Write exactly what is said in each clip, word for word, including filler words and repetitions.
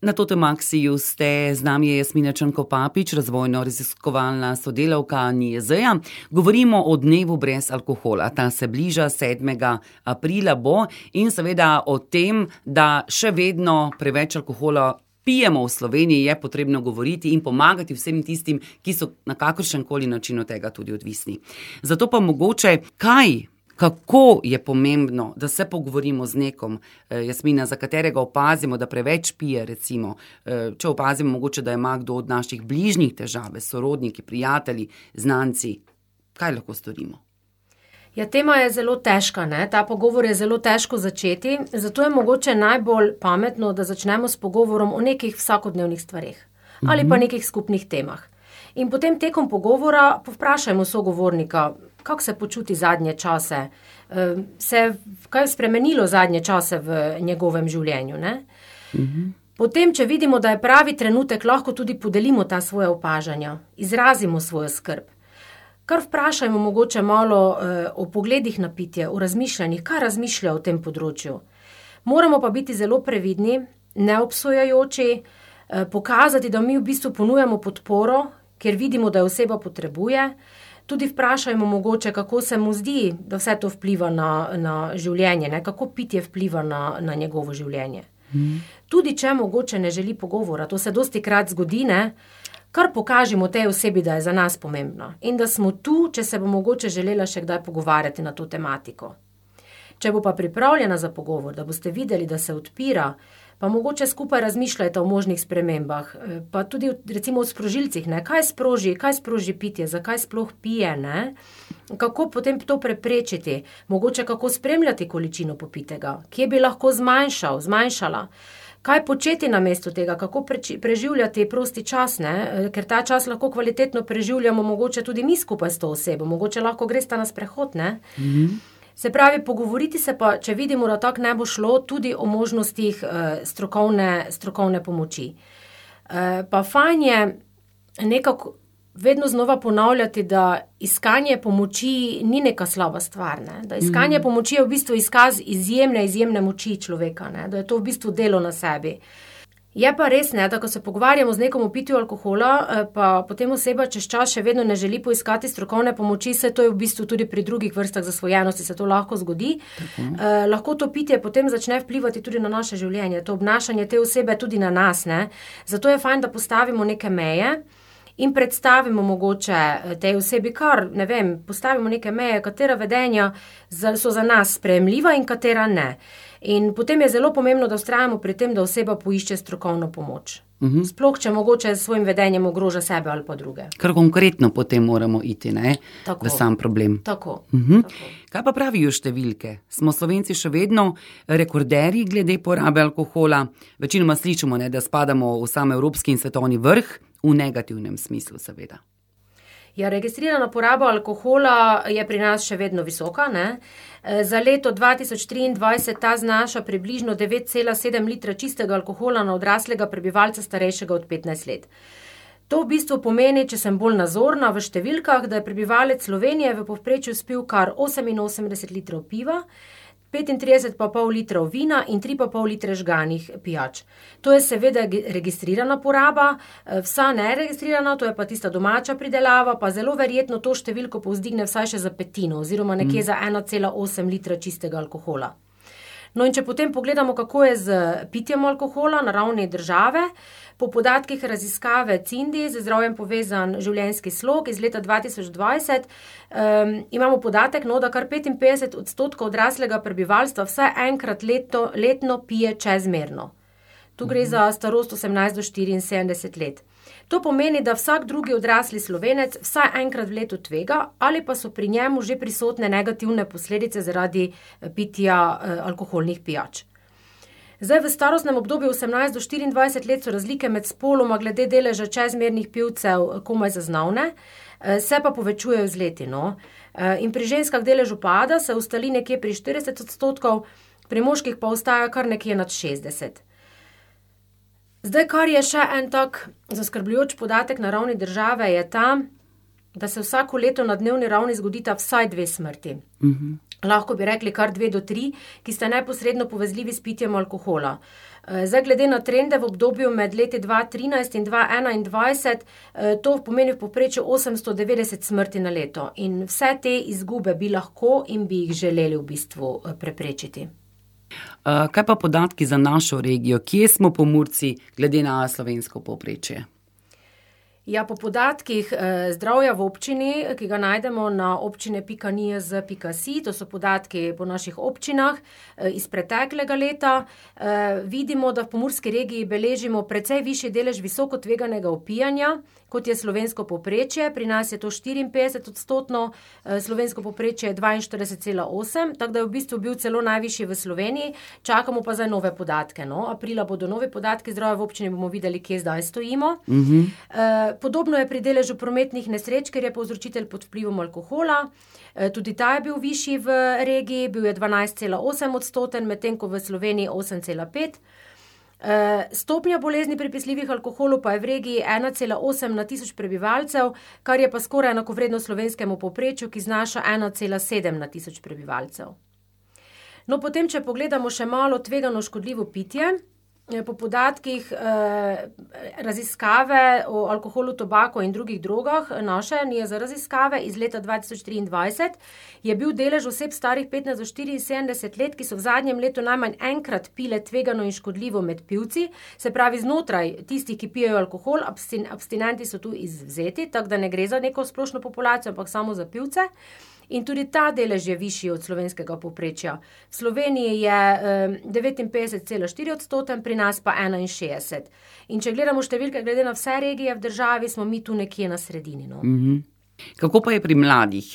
Na Totemaxiju ste, z nami je Jasmina Črnko-Papič, razvojno-raziskovalna sodelavka N I E Z-ja. Govorimo o dnevu brez alkohola. Ta se bliža sedmega aprila bo in seveda o tem, da še vedno preveč alkohola pijemo v Sloveniji, je potrebno govoriti in pomagati vsem tistim, ki so na kakršenkoli način od tega tudi odvisni. Zato pa mogoče, kaj Kako je pomembno, da se pogovorimo z nekom, Jasmina, za katerega opazimo, da preveč pije, recimo, če opazimo mogoče, da ima kdo od naših bližnjih težave, sorodniki, prijatelji, znanci, kaj lahko storimo? Ja, tema je zelo težka, ne? Ta pogovor je zelo težko začeti, zato je mogoče najbolj pametno, da začnemo s pogovorom o nekih vsakodnevnih stvareh ali pa nekih skupnih temah. In potem tekom pogovora povprašajmo sogovornika, kako se počuti zadnje čase, se kaj je spremenilo zadnje čase v njegovem življenju, ne? Mhm. Potem, če vidimo, da je pravi trenutek, lahko tudi podelimo ta svoja opažanja, izrazimo svojo skrb. Kar vprašajmo mogoče malo eh, o pogledih na pitje, o razmišljanjih, kaj razmišlja o tem področju. Moramo pa biti zelo previdni, neobsojajoči, eh, pokazati, da mi v bistvu ponujamo podporo, ker vidimo, da jo oseba potrebuje. Tudi vprašajmo mogoče, kako se mu zdi, da vse to vpliva na, na življenje, ne? Kako pitje vpliva na, na njegovo življenje. Mm. Tudi če mogoče ne želi pogovora, to se dosti krat zgodi, ne? Kar pokažemo tej osebi, da je za nas pomembno in da smo tu, če se bo mogoče želela še kdaj pogovarjati na to tematiko. Če bo pa pripravljena za pogovor, da boste videli, da se odpira, pa mogoče skupaj razmišljajte o možnih spremembah, pa tudi recimo o sprožilcih, ne? Kaj sproži, kaj sproži pitje, zakaj sploh pije, ne? Kako potem to preprečiti, mogoče kako spremljati količino popitega, kje bi lahko zmanjšal, zmanjšala, kaj početi namesto tega, kako preživljati prosti čas, ne? Ker ta čas lahko kvalitetno preživljamo mogoče tudi mi skupaj s to osebo, mogoče lahko gresta na sprehod, ne? Mhm. Se pravi, pogovoriti se pa, če vidimo, da tako ne bo šlo, tudi o možnostih eh, strokovne, strokovne pomoči. Eh, pa fajn je nekako vedno znova ponavljati, da iskanje pomoči ni neka slaba stvar, ne? Da iskanje mm. pomoči je v bistvu izkaz izjemne, izjemne moči človeka, ne? Da je to v bistvu delo na sebi. Je pa res, ne, da ko se pogovarjamo z nekom o pitju alkohola, pa potem oseba čez čas še vedno ne želi poiskati strokovne pomoči, se to je v bistvu tudi pri drugih vrstah zasvojenosti, se to lahko zgodi. Eh, lahko to pitje potem začne vplivati tudi na naše življenje, to obnašanje te osebe tudi na nas, ne. Zato je fajn, da postavimo neke meje in predstavimo mogoče tej osebi kar, ne vem, postavimo neke meje, katera vedenja so za nas sprejemljiva in katera ne. In potem je zelo pomembno, da vztrajamo pri tem, da oseba poišče strokovno pomoč. Uh-huh. Sploh, če mogoče s svojim vedenjem ogroža sebe ali pa druge. Kar konkretno potem moramo iti, ne? Tako. V sam problem. Tako. Uh-huh. Tako. Kaj pa pravijo številke? Smo Slovenci še vedno rekorderji glede porabe alkohola? Večinoma slišimo, ne, da spadamo v sam evropski in svetovni vrh, v negativnem smislu seveda. Ja, registrirana poraba alkohola je pri nas še vedno visoka, ne? Za leto dva tisoč triindvajset ta znaša približno devet cela sedem litra čistega alkohola na odraslega prebivalca starejšega od petnajst let. To v bistvu pomeni, če sem bolj nazorna v številkah, da je prebivalec Slovenije v povprečju spil kar oseminosemdeset litrov piva, petintrideset pa pol litrov vina in tri pa pol litre žganih pijač. To je seveda registrirana poraba, vsa neregistrirana, to je pa tista domača pridelava, pa zelo verjetno to številko povzdigne vsaj še za petino, oziroma nekje mm. za ena cela osem litra čistega alkohola. No in če potem pogledamo, kako je z pitjem alkohola na ravni države, po podatkih raziskave Cindi, z zdravjem povezan življenjski slog iz leta dva tisoč dvajset, um, imamo podatek, no, da kar petinpetdeset odstotkov odraslega prebivalstva vsaj enkrat leto, letno pije čezmerno. Tu gre za starost osemnajst do štiriinsedemdeset let. To pomeni, da vsak drugi odrasli Slovenec vsaj enkrat v letu tvega ali pa so pri njemu že prisotne negativne posledice zaradi pitja eh, alkoholnih pijač. Zdaj v starostnem obdobju osemnajst do štiriindvajset let so razlike med spoloma glede deleža čezmernih pivcev komaj zaznavne, eh, se pa povečujejo z leti, no. Eh, in pri ženskah delež upada, se ustali nekje pri štirideset odstotkov, pri moških pa ostaja kar nekje nad šestdeset. Zdaj, kar je še en tak zaskrbljujoč podatek na ravni države, je ta, da se vsako leto na dnevni ravni zgodita vsaj dve smrti. Mm-hmm. Lahko bi rekli kar dve do tri, ki sta neposredno povezljivi s pitjem alkohola. Zdaj, glede na trende v obdobju med leti dva tisoč trinajst in dva tisoč enaindvajset, to pomeni v povprečju osemsto devetdeset smrti na leto. In vse te izgube bi lahko in bi jih želeli v bistvu preprečiti. Kaj pa podatki za našo regijo? Kje smo Pomurci glede na slovensko povprečje? Ja, po podatkih eh, zdravja v občini, ki ga najdemo na občine pika n i z pika s i, to so podatki po naših občinah eh, iz preteklega leta, eh, vidimo, da v pomurski regiji beležimo precej višji delež visoko tveganega opijanja, kot je slovensko povprečje. Pri nas je to štiriinpetdeset odstotno, eh, slovensko povprečje je dvainštirideset cela osem, tako da je v bistvu bil celo najvišji v Sloveniji. Čakamo pa zdaj nove podatke. No? Aprila bodo novi podatki zdravja v občini, bomo videli, kje zdaj stojimo. Mhm. Eh, Podobno je pri deležu prometnih nesreč, ker je povzročitelj pod vplivom alkohola. Tudi ta je bil višji v regiji, bil je dvanajst cela osem odstoten, medtem ko v Sloveniji osem cela pet. Stopnja bolezni pripesljivih alkoholu pa je v regiji ena cela osem na tisoč prebivalcev, kar je pa skoraj enakovredno slovenskemu povprečju, ki znaša ena cela sedem na tisoč prebivalcev. No, potem, če pogledamo še malo tvegano škodljivo pitje, po podatkih eh, raziskave o alkoholu, tobako in drugih drogah, naše N I Z raziskave iz leta dva tisoč triindvajset, je bil delež oseb starih petnajst do štiriinsedemdeset let, ki so v zadnjem letu najmanj enkrat pile tvegano in škodljivo med pivci, se pravi znotraj tistih, ki pijejo alkohol, abstin- abstinenti so tu izvzeti, tako da ne gre za neko splošno populacijo, ampak samo za pivce. In tudi ta delež je višji od slovenskega povprečja. V Sloveniji je eh, devetinpetdeset cela štiri odstoten, pri nas pa enainšestdeset. In če gledamo številke glede na vse regije v državi, smo mi tu nekje na sredini. No? Mhm. Kako pa je pri mladih?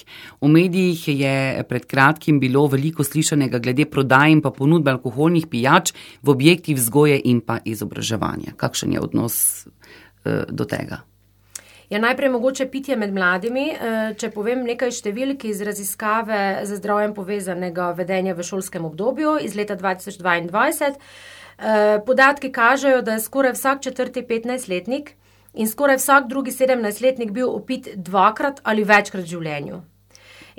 V medijih je pred kratkim bilo veliko slišanega glede prodaje in pa ponudbe alkoholnih pijač v objektih vzgoje in pa izobraževanja. Kakšen je odnos eh, do tega? Ja, najprej mogoče pitje med mladimi. Če povem nekaj številk iz raziskave za zdravjem povezanega vedenja v šolskem obdobju iz leta dva tisoč dvaindvajset. Podatki kažejo, da je skoraj vsak četrti petnajstletnik in skoraj vsak drugi sedemnajstletnik bil opit dvakrat ali večkrat v življenju.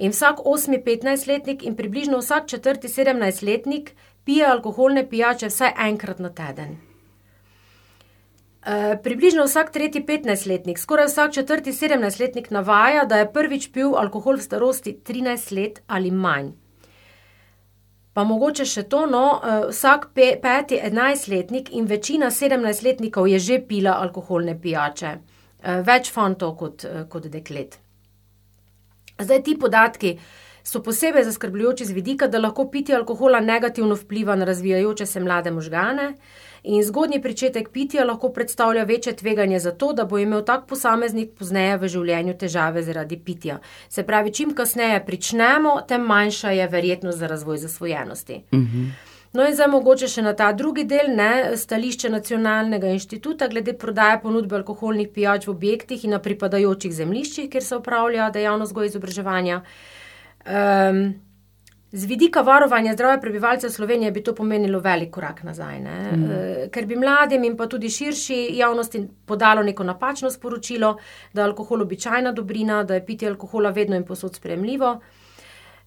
In vsak osmi petnajstletnik in približno vsak četrti sedemnajstletnik pije alkoholne pijače vsaj enkrat na teden. Uh, približno vsak tretji petnajstletnik, skoraj vsak četrti sedemnajstletnik navaja, da je prvič pil alkohol v starosti trinajst let ali manj. Pa mogoče še to, no, uh, vsak pe, peti enajstletnik in večina sedemnajstletnikov je že pila alkoholne pijače. Uh, več fantov kot, uh, kot deklet. Zdaj ti podatki so posebej zaskrbljujoči z vidika, da lahko pitje alkohola negativno vpliva na razvijajoče se mlade možgane. In zgodnji pričetek pitja lahko predstavlja večje tveganje za to, da bo imel tak posameznik pozneje v življenju težave zaradi pitja. Se pravi, čim kasneje pričnemo, tem manjša je verjetnost za razvoj zasvojenosti. Mhm. No in zdaj mogoče še na ta drugi del, ne, stališče Nacionalnega inštituta glede prodaje ponudbe alkoholnih pijač v objektih in na pripadajočih zemljiščih, kjer se opravlja dejavnost vzgoje in izobraževanja. Um, Z vidika varovanja zdravja prebivalcev Slovenije bi to pomenilo velik korak nazaj, ne? Mm. Ker bi mladim in pa tudi širši javnosti podalo neko napačno sporočilo, da je alkohol običajna dobrina, da je pitje alkohola vedno in povsod sprejemljivo.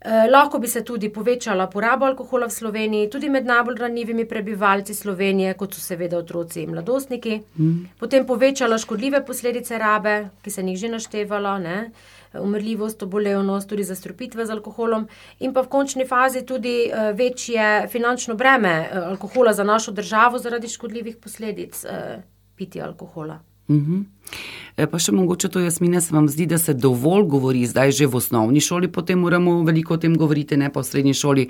Eh, lahko bi se tudi povečala poraba alkohola v Sloveniji, tudi med najbolj ranljivimi prebivalci Slovenije, kot so seveda otroci in mladostniki. Mm. Potem povečala škodljive posledice rabe, ki se njih že naštevala, ne? Umrljivost, obolevnost, tudi zastrupitve z alkoholom in pa v končni fazi tudi uh, večje finančno breme uh, alkohola za našo državo zaradi škodljivih posledic uh, pitja alkohola. Mhm. E, pa še mogoče to, Jasmina, se vam zdi, da se dovolj govori zdaj že v osnovni šoli, potem moramo veliko o tem govoriti, ne pa v srednji šoli,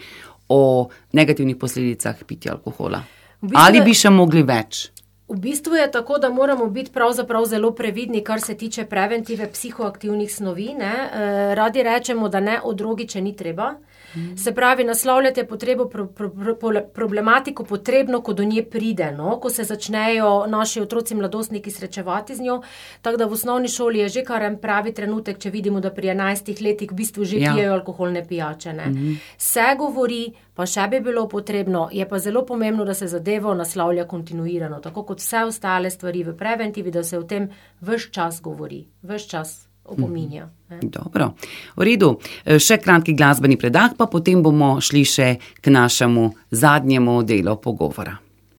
o negativnih posledicah pitja alkohola. V bistvu Ali bi še mogli več? V bistvu je tako, da moramo biti pravzaprav zelo previdni, kar se tiče preventive psihoaktivnih snovi, ne. E, radi rečemo, da ne o drogi, če ni treba. Mm. Se pravi, naslavljati je potrebo, pro, pro, pro, problematiko potrebno, ko do nje pride, no, ko se začnejo naši otroci mladostniki srečevati z njo, tako da v osnovni šoli je že kar en pravi trenutek, če vidimo, da pri enajstih letih v bistvu že ja. pijejo alkoholne pijače, ne. Mm. Se govori, pa še bi bilo potrebno, je pa zelo pomembno, da se zadevo naslavlja kontinuirano, tako kot vse ostale stvari v preventivi, da se o tem ves čas govori, ves čas opominja. Mm. Dobro, v redu, še kratki glasbeni predah, pa potem bomo šli še k našemu zadnjemu delu pogovora.